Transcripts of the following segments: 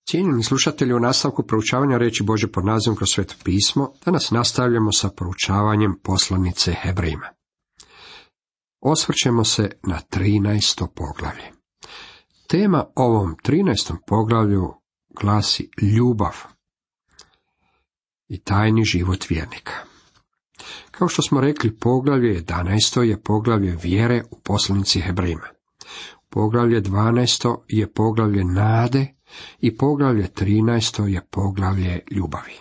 Cijenjeni slušatelji, u nastavku proučavanja riječi Božje pod nazivom kroz Sveto pismo, danas nastavljamo sa proučavanjem poslanice Hebrejima. Osvrćemo se na 13. poglavlje. Tema ovom 13. poglavlju glasi ljubav i tajni život vjernika. Kao što smo rekli, poglavlje 11. je poglavlje vjere u poslanici Hebrejima. Poglavlje 12. je poglavlje nade i poglavlje 13. je poglavlje ljubavi.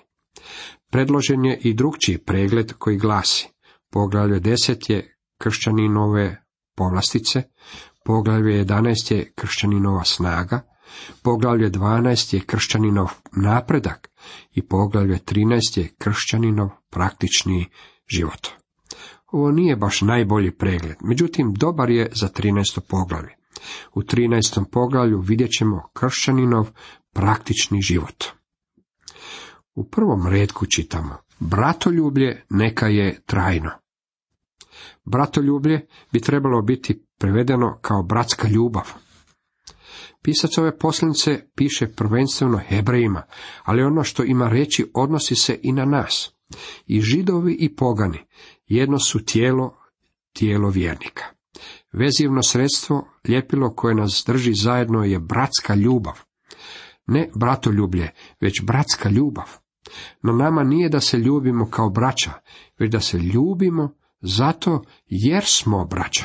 Predložen je i drugčiji pregled koji glasi: poglavlje 10 je kršćaninove povlastice, poglavlje 11 je kršćaninova snaga, poglavlje 12 je kršćaninov napredak i poglavlje 13 je kršćaninov praktični život. Ovo nije baš najbolji pregled, međutim dobar je za 13. poglavlje. U 13. poglavlju vidjet ćemo kršćaninov praktični život. U prvom retku čitamo: bratoljublje neka je trajno. Bratoljublje bi trebalo biti prevedeno kao bratska ljubav. Pisac ove poslanice piše prvenstveno Hebrejima, ali ono što ima reći odnosi se i na nas. I Židovi i pogani jedno su tijelo vjernika. Vezivno sredstvo, ljepilo koje nas drži zajedno je bratska ljubav. Ne bratoljublje, već bratska ljubav. No nama nije da se ljubimo kao braća, već da se ljubimo zato jer smo braća.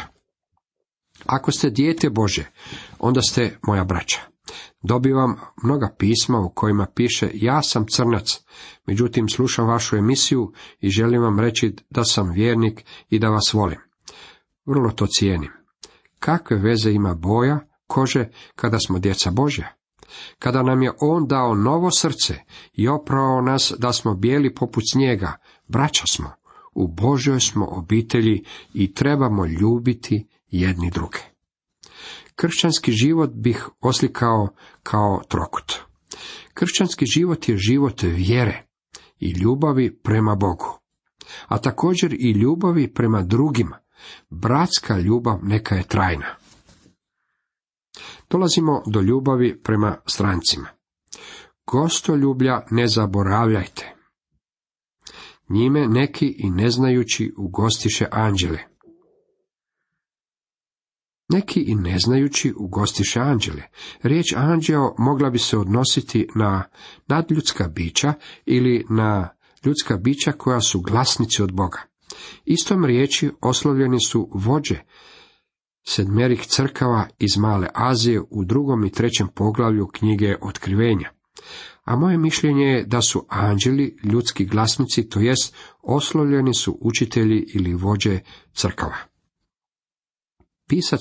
Ako ste dijete Božje, onda ste moja braća. Dobivam mnoga pisma u kojima piše: ja sam crnac, međutim slušam vašu emisiju i želim vam reći da sam vjernik i da vas volim. Vrlo to cijenim. Kakve veze ima boja kože kada smo djeca Božja? Kada nam je On dao novo srce i oprao nas da smo bijeli poput snijega, braća smo, u Božjoj smo obitelji i trebamo ljubiti jedni druge. Kršćanski život bih oslikao kao trokut. Kršćanski život je život vjere i ljubavi prema Bogu, a također i ljubavi prema drugima. Bratska ljubav neka je trajna. Dolazimo do ljubavi prema strancima. Gostoljublja ne zaboravljajte. Njime neki i neznajući ugostiše anđele. Neki i neznajući ugostiše anđele. Riječ anđeo mogla bi se odnositi na nadljudska bića ili na ljudska bića koja su glasnici od Boga. Istom riječi oslovljeni su vođe 7 crkava iz Male Azije u 2. i 3. poglavlju knjige Otkrivenja. A moje mišljenje je da su anđeli ljudski glasnici, to jest oslovljeni su učitelji ili vođe crkava. Pisac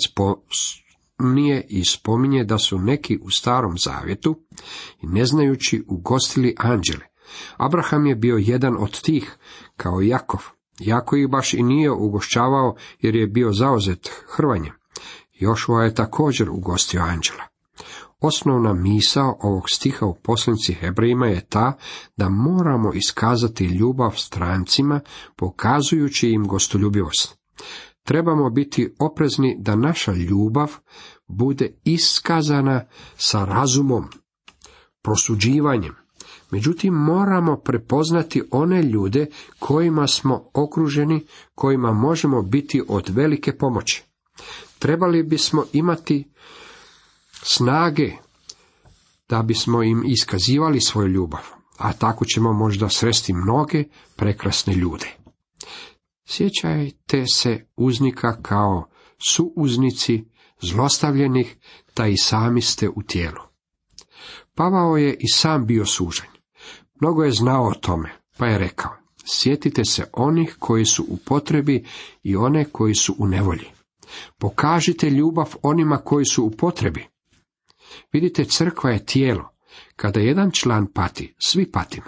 nije i spominje da su neki u Starom zavjetu i neznajući ugostili anđele. Abraham je bio jedan od tih, kao i Jakov. Jako ih baš i nije ugošćavao jer je bio zauzet hrvanjem. Jošua je također ugostio anđela. Osnovna misao ovog stiha u poslanici Hebrejima je ta da moramo iskazati ljubav strancima pokazujući im gostoljubivost. Trebamo biti oprezni da naša ljubav bude iskazana sa razumom, prosuđivanjem. Međutim, moramo prepoznati one ljude kojima smo okruženi, kojima možemo biti od velike pomoći. Trebali bismo imati snage da bismo im iskazivali svoju ljubav, a tako ćemo možda sresti mnoge prekrasne ljude. Sjećajte se uznika kao suuznici zlostavljenih, da i sami ste u tijelu. Pavao je i sam bio sužen. Mnogo je znao o tome, pa je rekao: sjetite se onih koji su u potrebi i one koji su u nevolji. Pokažite ljubav onima koji su u potrebi. Vidite, crkva je tijelo. Kada jedan član pati, svi patimo.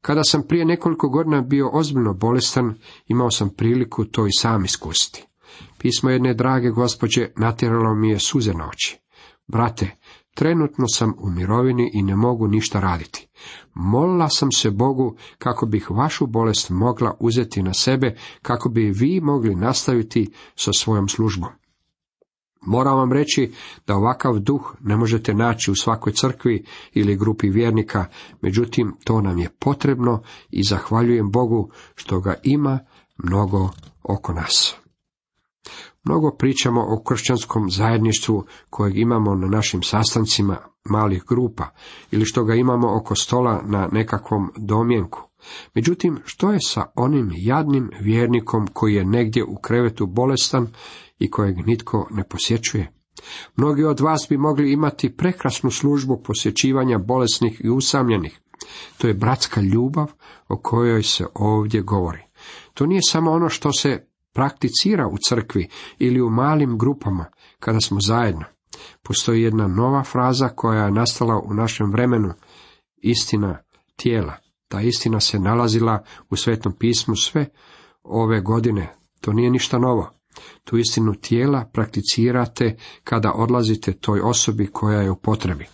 Kada sam prije nekoliko godina bio ozbiljno bolestan, imao sam priliku to i sam iskusiti. Pismo jedne drage gospođe natjeralo mi je suze na oči. Brate, trenutno sam u mirovini i ne mogu ništa raditi. Molila sam se Bogu kako bih vašu bolest mogla uzeti na sebe, kako bi vi mogli nastaviti sa svojom službom. Moram vam reći da ovakav duh ne možete naći u svakoj crkvi ili grupi vjernika, međutim to nam je potrebno i zahvaljujem Bogu što ga ima mnogo oko nas. Mnogo pričamo o kršćanskom zajedništvu kojeg imamo na našim sastancima malih grupa ili što ga imamo oko stola na nekakvom domjenku. Međutim, što je sa onim jadnim vjernikom koji je negdje u krevetu bolestan i kojeg nitko ne posjećuje? Mnogi od vas bi mogli imati prekrasnu službu posjećivanja bolesnih i usamljenih. To je bratska ljubav o kojoj se ovdje govori. To nije samo ono što se prakticira u crkvi ili u malim grupama kada smo zajedno. Postoji jedna nova fraza koja je nastala u našem vremenu, istina tijela. Ta istina se nalazila u Svetom pismu sve ove godine. To nije ništa novo. Tu istinu tijela prakticirate kada odlazite toj osobi koja je u potrebi.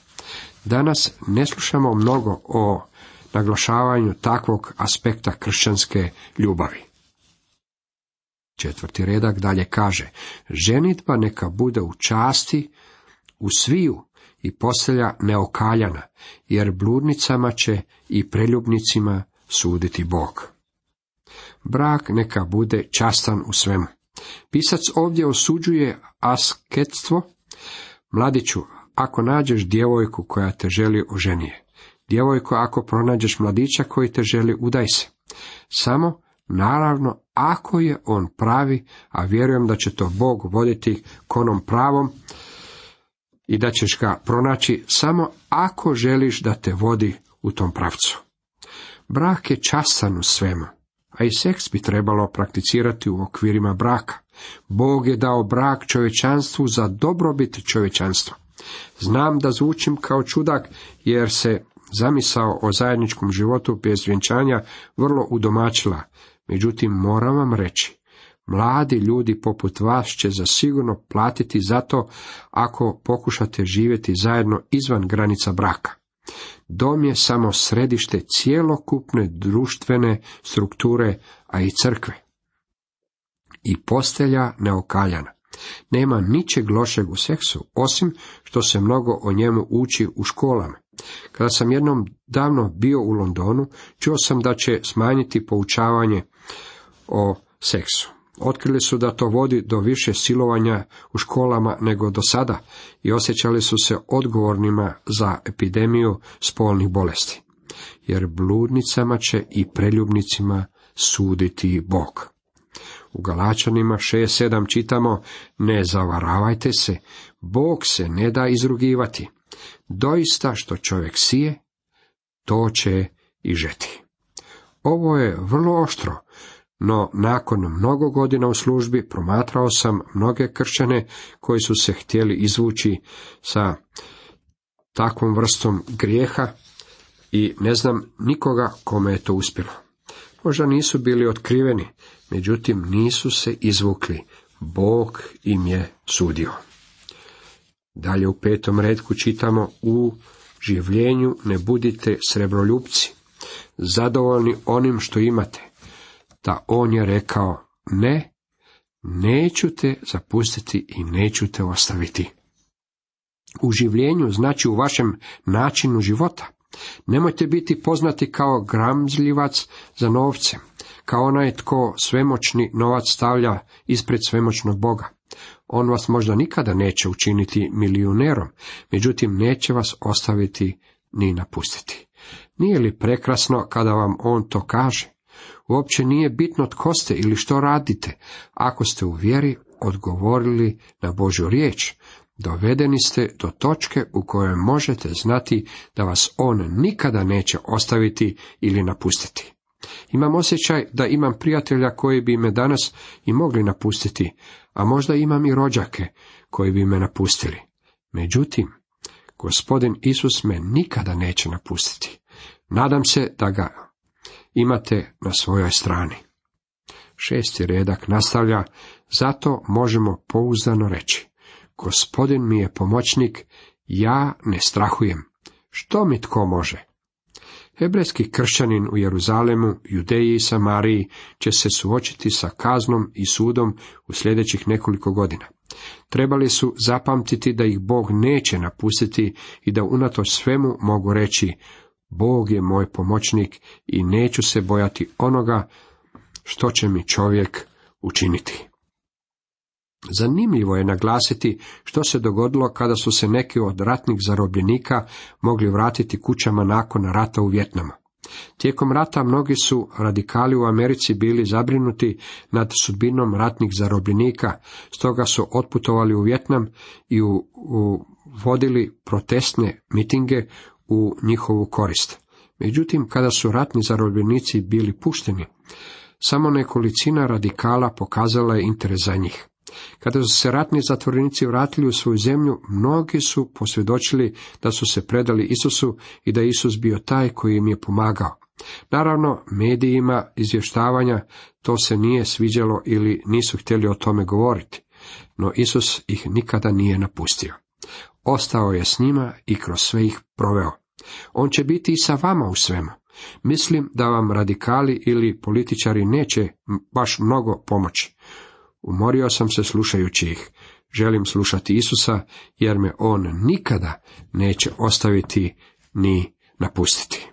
Danas ne slušamo mnogo o naglašavanju takvog aspekta kršćanske ljubavi. 4. redak dalje kaže, ženidba neka bude u časti, u sviju i postelja neokaljana, jer bludnicama će i preljubnicima suditi Bog. Brak neka bude častan u svemu. Pisac ovdje osuđuje asketstvo. Mladiću, ako nađeš djevojku koja te želi oženije, djevojko, ako pronađeš mladića koji te želi, udaj se. Samo, naravno, ako je on pravi, a vjerujem da će to Bog voditi k onom pravom i da ćeš ga pronaći samo ako želiš da te vodi u tom pravcu. Brak je častan u svemu, a i seks bi trebalo prakticirati u okvirima braka. Bog je dao brak čovječanstvu za dobrobit čovječanstva. Znam da zvučim kao čudak, jer se zamisao o zajedničkom životu bez vjenčanja vrlo udomačila. Međutim, moram vam reći, mladi ljudi poput vas će zasigurno platiti za to ako pokušate živjeti zajedno izvan granica braka. Dom je samo središte cjelokupne društvene strukture, a i crkve. I postelja neokaljana. Nema ničeg lošeg u seksu, osim što se mnogo o njemu uči u školama. Kada sam jednom davno bio u Londonu, čuo sam da će smanjiti poučavanje o seksu. Otkrili su da to vodi do više silovanja u školama nego do sada i osjećali su se odgovornima za epidemiju spolnih bolesti. Jer bludnicama će i preljubnicima suditi Bog. U Galačanima 6:7 čitamo, ne zavaravajte se, Bog se ne da izrugivati. Doista što čovjek sije, to će i žeti. Ovo je vrlo oštro, no nakon mnogo godina u službi promatrao sam mnoge kršćane koji su se htjeli izvući sa takvom vrstom grijeha i ne znam nikoga kome je to uspjelo. Možda nisu bili otkriveni, međutim nisu se izvukli. Bog im je sudio. Dalje u 5. retku čitamo, u življenju ne budite srebroljupci, zadovoljni onim što imate. Da on je rekao, ne, neću te zapustiti i neću te ostaviti. U življenju znači u vašem načinu života. Nemojte biti poznati kao gramzljivac za novcem, kao onaj tko svemoćni novac stavlja ispred svemoćnog Boga. On vas možda nikada neće učiniti milijunerom, međutim neće vas ostaviti ni napustiti. Nije li prekrasno kada vam on to kaže? Uopće nije bitno tko ste ili što radite, ako ste u vjeri odgovorili na Božju riječ. Dovedeni ste do točke u kojoj možete znati da vas on nikada neće ostaviti ili napustiti. Imam osjećaj da imam prijatelja koji bi me danas i mogli napustiti, a možda imam i rođake koji bi me napustili. Međutim, Gospodin Isus me nikada neće napustiti. Nadam se da ga imate na svojoj strani. 6. redak nastavlja, zato možemo pouzdano reći, Gospodin mi je pomoćnik, ja ne strahujem. Što mi tko može? Hebrejski kršćanin u Jeruzalemu, Judeji i Samariji će se suočiti sa kaznom i sudom u sljedećih nekoliko godina. Trebali su zapamtiti da ih Bog neće napustiti i da unatoč svemu mogu reći: Bog je moj pomoćnik i neću se bojati onoga što će mi čovjek učiniti. Zanimljivo je naglasiti što se dogodilo kada su se neki od ratnih zarobljenika mogli vratiti kućama nakon rata u Vijetnamu. Tijekom rata mnogi su radikali u Americi bili zabrinuti nad sudbinom ratnih zarobljenika, stoga su otputovali u Vijetnam i vodili protestne mitinge u njihovu korist. Međutim, kada su ratni zarobljenici bili pušteni, samo nekolicina radikala pokazala je interes za njih. Kada su se ratni zatvorenici vratili u svoju zemlju, mnogi su posvjedočili da su se predali Isusu i da je Isus bio taj koji im je pomagao. Naravno, medijima izvještavanja to se nije sviđalo ili nisu htjeli o tome govoriti, no Isus ih nikada nije napustio. Ostao je s njima i kroz sve ih proveo. On će biti i sa vama u svemu. Mislim da vam radikali ili političari neće baš mnogo pomoći. Umorio sam se slušajući ih. Želim slušati Isusa, jer me on nikada neće ostaviti ni napustiti.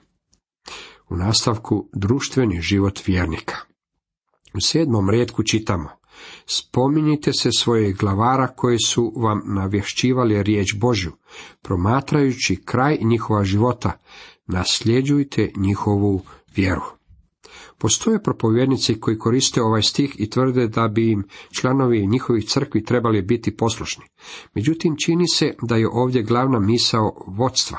U nastavku društveni život vjernika. U 7. retku čitamo: Spominjite se svojih glavara koji su vam navješćivali riječ Božju, promatrajući kraj njihova života, nasljeđujte njihovu vjeru. Postoje propovjednici koji koriste ovaj stih i tvrde da bi im članovi njihovih crkvi trebali biti poslušni. Međutim, čini se da je ovdje glavna misao vodstva.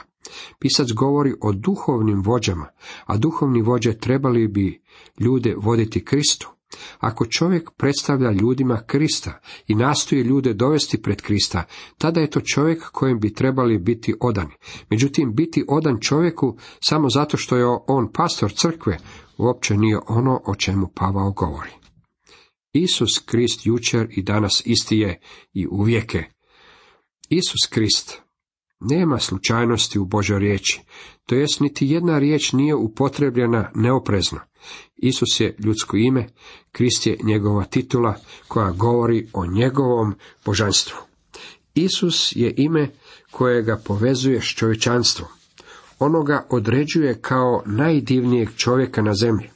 Pisac govori o duhovnim vođama, a duhovni vođe trebali bi ljude voditi Kristu. Ako čovjek predstavlja ljudima Krista i nastoji ljude dovesti pred Krista, tada je to čovjek kojem bi trebali biti odani. Međutim, biti odan čovjeku samo zato što je on pastor crkve uopće nije ono o čemu Pavao govori. Isus Krist jučer i danas isti je i uvijek je. Isus Krist. Nema slučajnosti u Božoj riječi, to jest niti jedna riječ nije upotrebljena neoprezno. Isus je ljudsko ime, Krist je njegova titula koja govori o njegovom božanstvu. Isus je ime koje ga povezuje s čovječanstvom. Ono ga određuje kao najdivnijeg čovjeka na zemlji.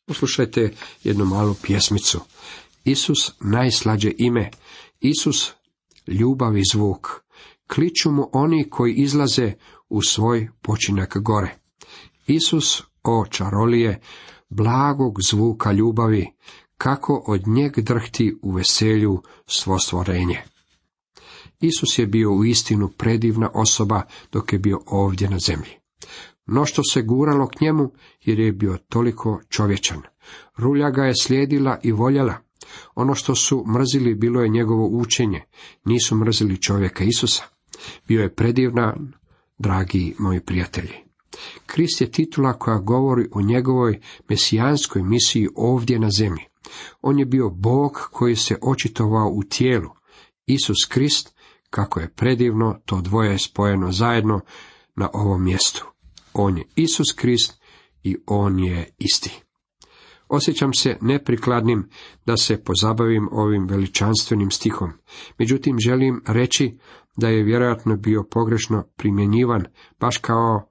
Poslušajte jednu malu pjesmicu. Isus najslađe ime, Isus ljubav i zvuk. Kliču mu oni koji izlaze u svoj počinak gore. Isus, o čarolije, blagog zvuka ljubavi, kako od njeg drhti u veselju svo stvorenje. Isus je bio uistinu predivna osoba dok je bio ovdje na zemlji. Mnoštvo se guralo k njemu jer je bio toliko čovječan. Rulja ga je slijedila i voljela. Ono što su mrzili bilo je njegovo učenje, nisu mrzili čovjeka Isusa. Bio je predivan, dragi moji prijatelji. Krist je titula koja govori o njegovoj mesijanskoj misiji ovdje na zemlji. On je bio Bog koji se očitovao u tijelu. Isus Krist, kako je predivno to dvoje spojeno zajedno na ovom mjestu. On je Isus Krist i on je isti. Osjećam se neprikladnim da se pozabavim ovim veličanstvenim stihom. Međutim, želim reći da je vjerojatno bio pogrešno primjenjivan, baš kao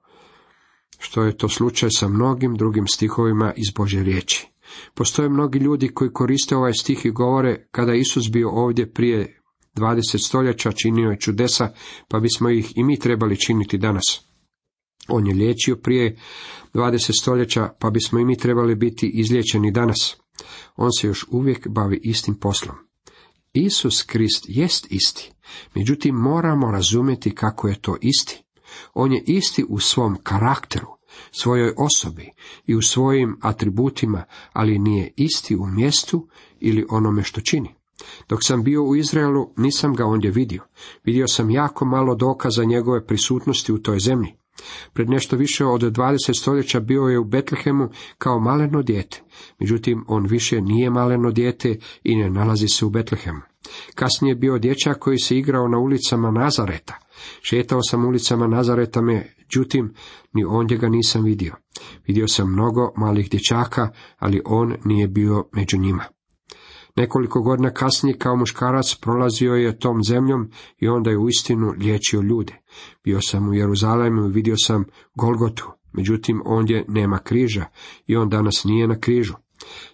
što je to slučaj sa mnogim drugim stihovima iz Božje riječi. Postoje mnogi ljudi koji koriste ovaj stih i govore: kada je Isus bio ovdje prije 20 stoljeća, činio je čudesa, pa bismo ih i mi trebali činiti danas. On je liječio prije 20 stoljeća, pa bismo i mi trebali biti izliječeni danas. On se još uvijek bavi istim poslom. Isus Krist jest isti, međutim moramo razumjeti kako je to isti. On je isti u svom karakteru, svojoj osobi i u svojim atributima, ali nije isti u mjestu ili onome što čini. Dok sam bio u Izraelu, nisam ga ondje vidio. Vidio sam jako malo dokaza njegove prisutnosti u toj zemlji. Pred nešto više od 20 stoljeća bio je u Betlehemu kao maleno dijete. Međutim, on više nije maleno dijete i ne nalazi se u Betlehemu. Kasnije je bio dječak koji se igrao na ulicama Nazareta. Šetao sam ulicama Nazareta, međutim, ni ondje ga nisam vidio. Vidio sam mnogo malih dječaka, ali on nije bio među njima. Nekoliko godina kasnije kao muškarac prolazio je tom zemljom i onda je uistinu liječio ljude. Bio sam u Jeruzalemu i vidio sam Golgotu, međutim ondje nema križa i on danas nije na križu.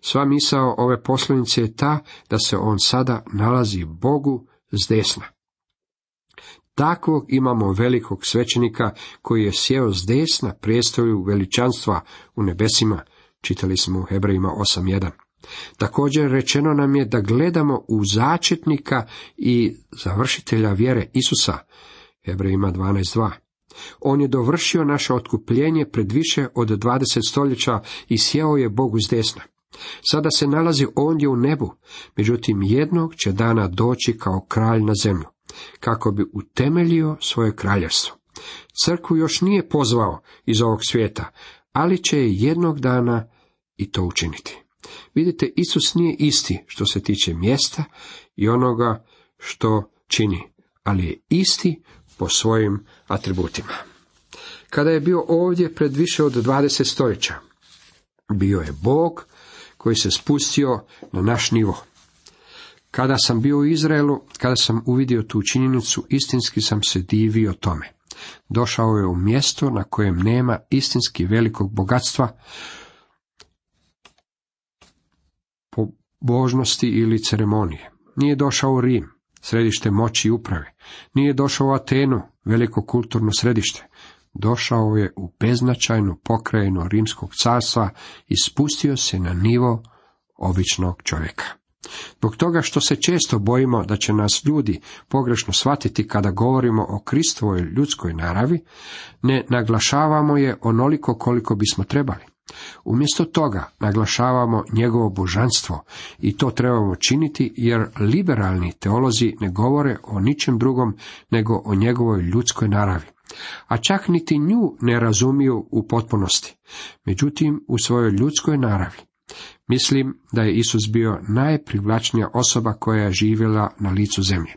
Sva misao ove poslanice je ta da se on sada nalazi Bogu s desna. Takvog imamo velikog svećenika koji je sjeo s desna prijestolju veličanstva u nebesima, čitali smo u Hebrejima 8.1. Također rečeno nam je da gledamo u začetnika i završitelja vjere Isusa, Hebrejima 12.2. On je dovršio naše otkupljenje pred više od 20 stoljeća i sjeo je Bogu s desna. Sada se nalazi ondje u nebu, međutim jednog će dana doći kao kralj na zemlju, kako bi utemeljio svoje kraljevstvo. Crkvu još nije pozvao iz ovog svijeta, ali će je jednog dana i to učiniti. Vidite, Isus nije isti što se tiče mjesta i onoga što čini, ali je isti po svojim atributima. Kada je bio ovdje pred više od 20 stoljeća, bio je Bog koji se spustio na naš nivo. Kada sam bio u Izraelu, kada sam uvidio tu činjenicu, istinski sam se divio tome. Došao je u mjesto na kojem nema istinski velikog bogatstva, pobožnosti ili ceremonije. Nije došao u Rim, središte moći i uprave. Nije došao u Atenu, veliko kulturno središte. Došao je u beznačajnu pokrajinu Rimskog carstva i spustio se na nivo običnog čovjeka. Zbog toga što se često bojimo da će nas ljudi pogrešno shvatiti kada govorimo o Kristovoj ljudskoj naravi, ne naglašavamo je onoliko koliko bismo trebali. Umjesto toga naglašavamo njegovo božanstvo i to trebamo činiti jer liberalni teolozi ne govore o ničem drugom nego o njegovoj ljudskoj naravi. A čak niti nju ne razumiju u potpunosti, međutim u svojoj ljudskoj naravi. Mislim da je Isus bio najprivlačnija osoba koja je živjela na licu zemlje.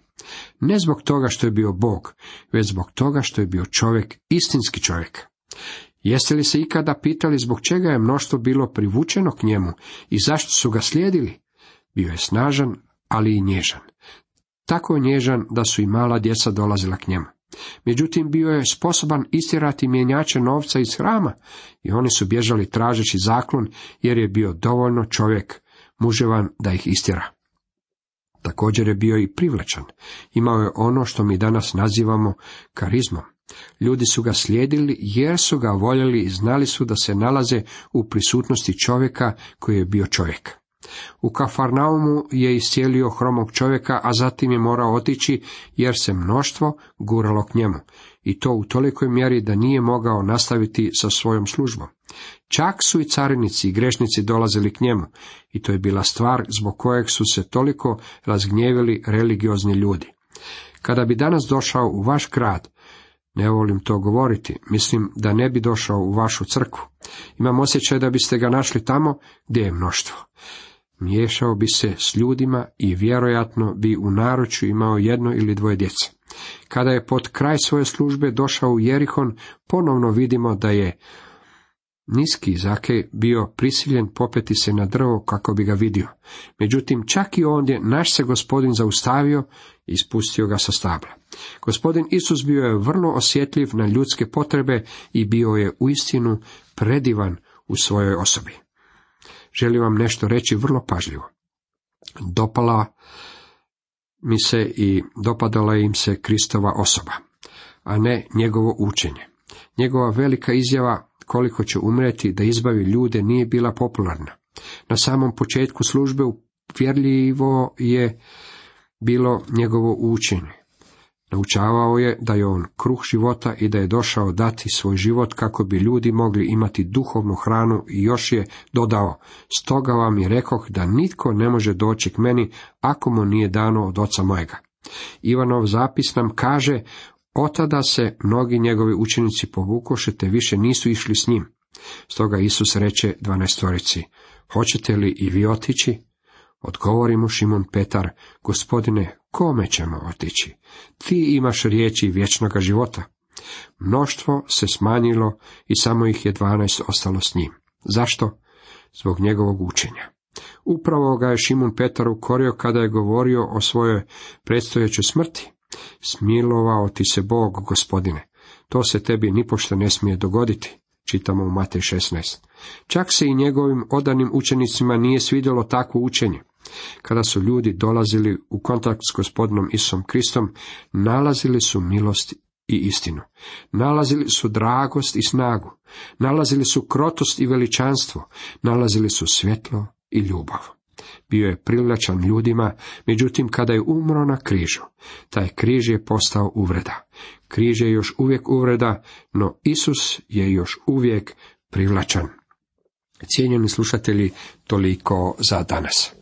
Ne zbog toga što je bio Bog, već zbog toga što je bio čovjek, istinski čovjek. Jeste li se ikada pitali zbog čega je mnoštvo bilo privučeno k njemu i zašto su ga slijedili? Bio je snažan, ali i nježan. Tako nježan da su i mala djeca dolazila k njemu. Međutim, bio je sposoban istjerati mjenjače novca iz hrama i oni su bježali tražeći zaklon jer je bio dovoljno čovjek muževan da ih istjera. Također je bio i privlačan. Imao je ono što mi danas nazivamo karizmom. Ljudi su ga slijedili jer su ga voljeli i znali su da se nalaze u prisutnosti čovjeka koji je bio čovjek. U Kafarnaumu je iscijelio hromog čovjeka, a zatim je morao otići jer se mnoštvo guralo k njemu, i to u tolikoj mjeri da nije mogao nastaviti sa svojom službom. Čak su i carinici i grešnici dolazili k njemu, i to je bila stvar zbog kojeg su se toliko razgnjevili religiozni ljudi. Kada bi danas došao u vaš grad, ne volim to govoriti, mislim da ne bi došao u vašu crkvu. Imam osjećaj da biste ga našli tamo gdje je mnoštvo. Miješao bi se s ljudima i vjerojatno bi u naručju imao 1 ili 2 djece. Kada je pod kraj svoje službe došao u Jerihon, ponovno vidimo da je niski Zakej bio prisiljen popeti se na drvo kako bi ga vidio. Međutim, čak i ondje naš se Gospodin zaustavio i spustio ga sa stabla. Gospodin Isus bio je vrlo osjetljiv na ljudske potrebe i bio je uistinu predivan u svojoj osobi. Želim vam nešto reći vrlo pažljivo. Dopala mi se i dopadala im se Kristova osoba, a ne njegovo učenje. Njegova velika izjava koliko će umreti da izbavi ljude nije bila popularna. Na samom početku službe uvjerljivo je bilo njegovo učenje. Naučavao je da je on kruh života i da je došao dati svoj život kako bi ljudi mogli imati duhovnu hranu, i još je dodao: stoga vam je rekoh da nitko ne može doći k meni ako mu nije dano od oca mojega. Ivanov zapis nam kaže: otada se mnogi njegovi učenici povukoše te više nisu išli s njim. Stoga Isus reče 12-torici: hoćete li i vi otići? Odgovori mu Šimun Petar: Gospodine, kome ćemo otići? Ti imaš riječi vječnoga života. Mnoštvo se smanjilo i samo ih je 12 ostalo s njim. Zašto? Zbog njegovog učenja. Upravo ga je Šimun Petar ukorio kada je govorio o svojoj predstojećoj smrti. Smilovao ti se Bog, Gospodine. To se tebi nipošto ne smije dogoditi. Čitamo u Matej 16. Čak se i njegovim odanim učenicima nije svidjelo takvo učenje. Kada su ljudi dolazili u kontakt s Gospodinom Isusom Kristom, nalazili su milost i istinu. Nalazili su dragost i snagu. Nalazili su krotost i veličanstvo. Nalazili su svjetlo i ljubav. Bio je privlačan ljudima, međutim kada je umro na križu, taj križ je postao uvreda. Križ je još uvijek uvreda, no Isus je još uvijek privlačan. Cijenjeni slušatelji, toliko za danas.